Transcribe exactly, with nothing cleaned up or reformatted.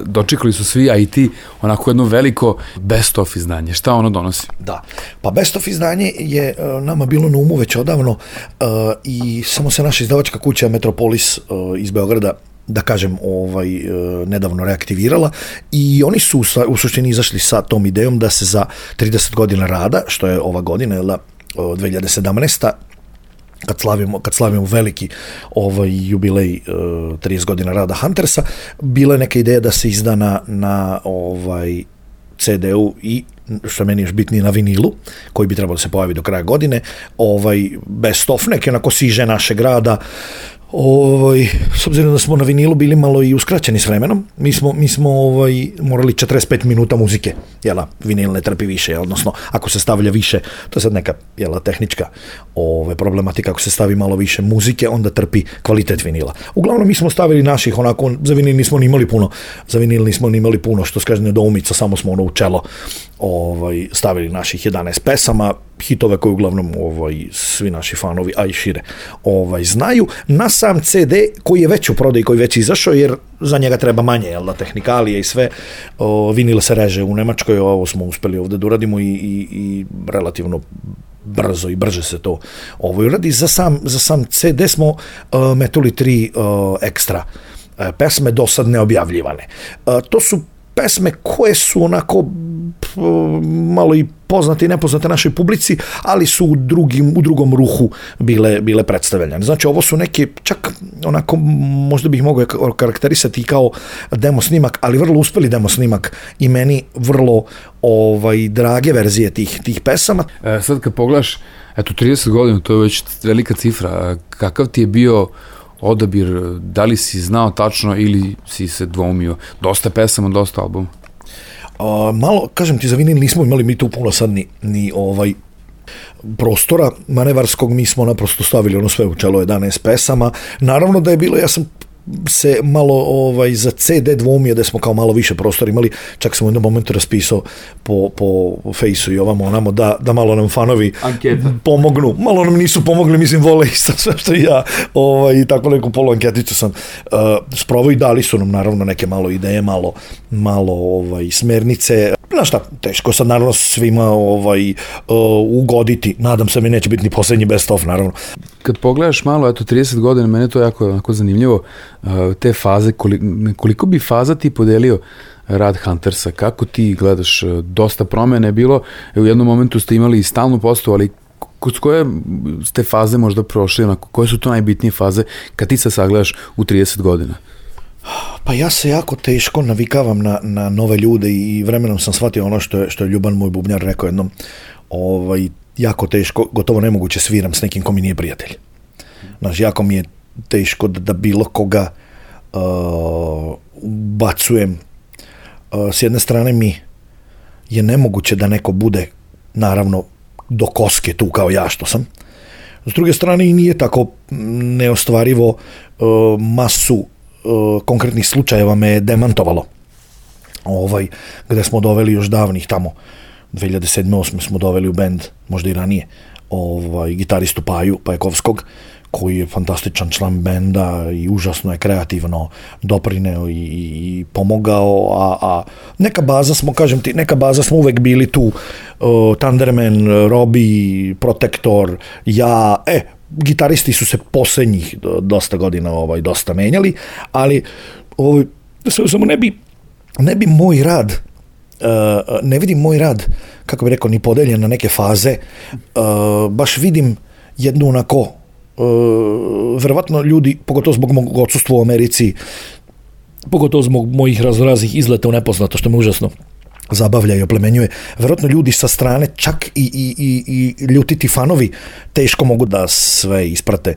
Dočekali su svi, a i ti, onako jedno veliko best of izdanje. Šta ono donosi? Da, pa best of izdanje je uh, nama bilo na umu već odavno uh, i samo se naša izdavačka kuća Metropolis uh, iz Beograda, da kažem, ovaj, uh, nedavno reaktivirala i oni su sa, u suštini izašli sa tom idejom da se za trideset godina rada, što je ova godina, jel da, uh, dve hiljade sedamnaeste. Kad slavimo, kad slavimo veliki ovaj jubilej uh, trideset godina rada Huntersa, bila je neka ideja da se izda na, na ovaj ce de u i, što meni još bitnije, na vinilu, koji bi trebalo da se pojavi do kraja godine, ovaj best of, neke onako siže našeg rada. Ovaj, s obzirom da smo na vinilu bili malo i uskraćeni s vremenom, mi smo, mi smo ovaj, morali četrdeset pet minuta muzike, jela, vinil ne trpi više, odnosno ako se stavlja više, to je sad neka jela, tehnička ovaj, problematika, ako se stavi malo više muzike, onda trpi kvalitet vinila. Uglavnom mi smo stavili naših, onako, za vinil nismo ni imali puno, za vinil nismo ni imali puno, što skaže nedoumica, samo smo ono u čelo ovaj, stavili naših jedanaest pesama, hitove koje uglavnom ovaj, svi naši fanovi, a i šire, ovaj, znaju. Na sam ce de koji je već u prodaji, koji već izašao, jer za njega treba manje, jel da, tehnikalije i sve. O, vinil se reže u Nemačkoj, ovo smo uspeli ovde da uradimo i, i, i relativno brzo i brže se to ovo uradi. Za sam, za sam ce de smo uh, metuli tri uh, ekstra uh, pesme, do sad neobjavljivane. Uh, to su pesme koje su onako malo i poznate i nepoznate našoj publici, ali su u, drugim, u drugom ruhu bile, bile predstavljene. Znači, ovo su neke, čak onako, možda bih mogao karakterisati kao demo snimak, ali vrlo uspeli demo snimak i meni vrlo ovaj, drage verzije tih, tih pesama. E, sad kad pogledaš, eto, trideset godina, to je već velika cifra. Kakav ti je bio odabir, da li si znao tačno ili si se dvoumio? Dosta pesama, dosta albuma? Uh, malo, kažem ti, za vinil nismo imali mi tu puno sad ni, ni ovaj prostora manevarskog, mi smo naprosto stavili ono sve u čelo jedanaest pesama. Naravno da je bilo, ja sam se malo ovaj, za ce de dvoumio da smo kao malo više prostora imali, čak sam u jednom momentu raspisao po, po fejsu i ovamo onamo da, da malo nam fanovi Anketa. Pomognu. Malo nam nisu pomogli, mislim, vole isto sve što i ja, ovaj, tako neku polu anketicu sam uh, sprovao i dali su nam naravno neke malo ideje, malo, malo ovaj, smernice. Znaš šta, teško sad naravno svima ovaj, uh, ugoditi, nadam se mi neće biti ni posljednji best of, naravno. Kad pogledaš malo, eto, trideset godina, mene to jako, jako zanimljivo, te faze, koliko, koliko bi faza ti podelio rad Huntersa, kako ti gledaš, dosta promjene je bilo, u jednom momentu ste imali stalnu postavu, ali kod koje ste faze možda prošli, onako, koje su to najbitnije faze kad ti se sagledaš u trideset godina? Pa ja se jako teško navikavam na, na nove ljude i vremenom sam shvatio ono što je, što je Ljuban, moj bubnjar, rekao jednom, ovaj, jako teško, gotovo nemoguće sviram s nekim ko mi nije prijatelj. Znaš, jako mi je teško da, da bilo koga uh, bacujem. Uh, s jedne strane mi je nemoguće da neko bude, naravno, do koske tu kao ja što sam. S druge strane i nije tako neostvarivo, uh, masu uh, konkretnih slučajeva me je demantovalo. Ovaj, gde smo doveli još davnih tamo, dve hiljade sedme osme smo doveli u bend, možda i ranije, ovaj, gitaristu Paju Pajakovskog, koji je fantastičan član benda i užasno je kreativno doprineo i, i pomogao, a, a neka baza smo, kažem ti, neka baza smo uvek bili tu, uh, Thunderman, Robi, Protektor, ja, e, gitaristi su se posljednjih dosta godina ovaj, dosta menjali, ali ovaj, samo ne bi, ne bi moj rad, uh, ne vidim moj rad, kako bi rekao, ni podeljen na neke faze, uh, baš vidim jednu onako, Uh, verovatno ljudi, pogotovo zbog mog odsustva u Americi, pogotovo zbog mojih raznoraznih izleta u nepoznato, što me užasno zabavlja i oplemenjuje, verovatno ljudi sa strane, čak i, i, i, i ljutiti fanovi, teško mogu da sve isprate.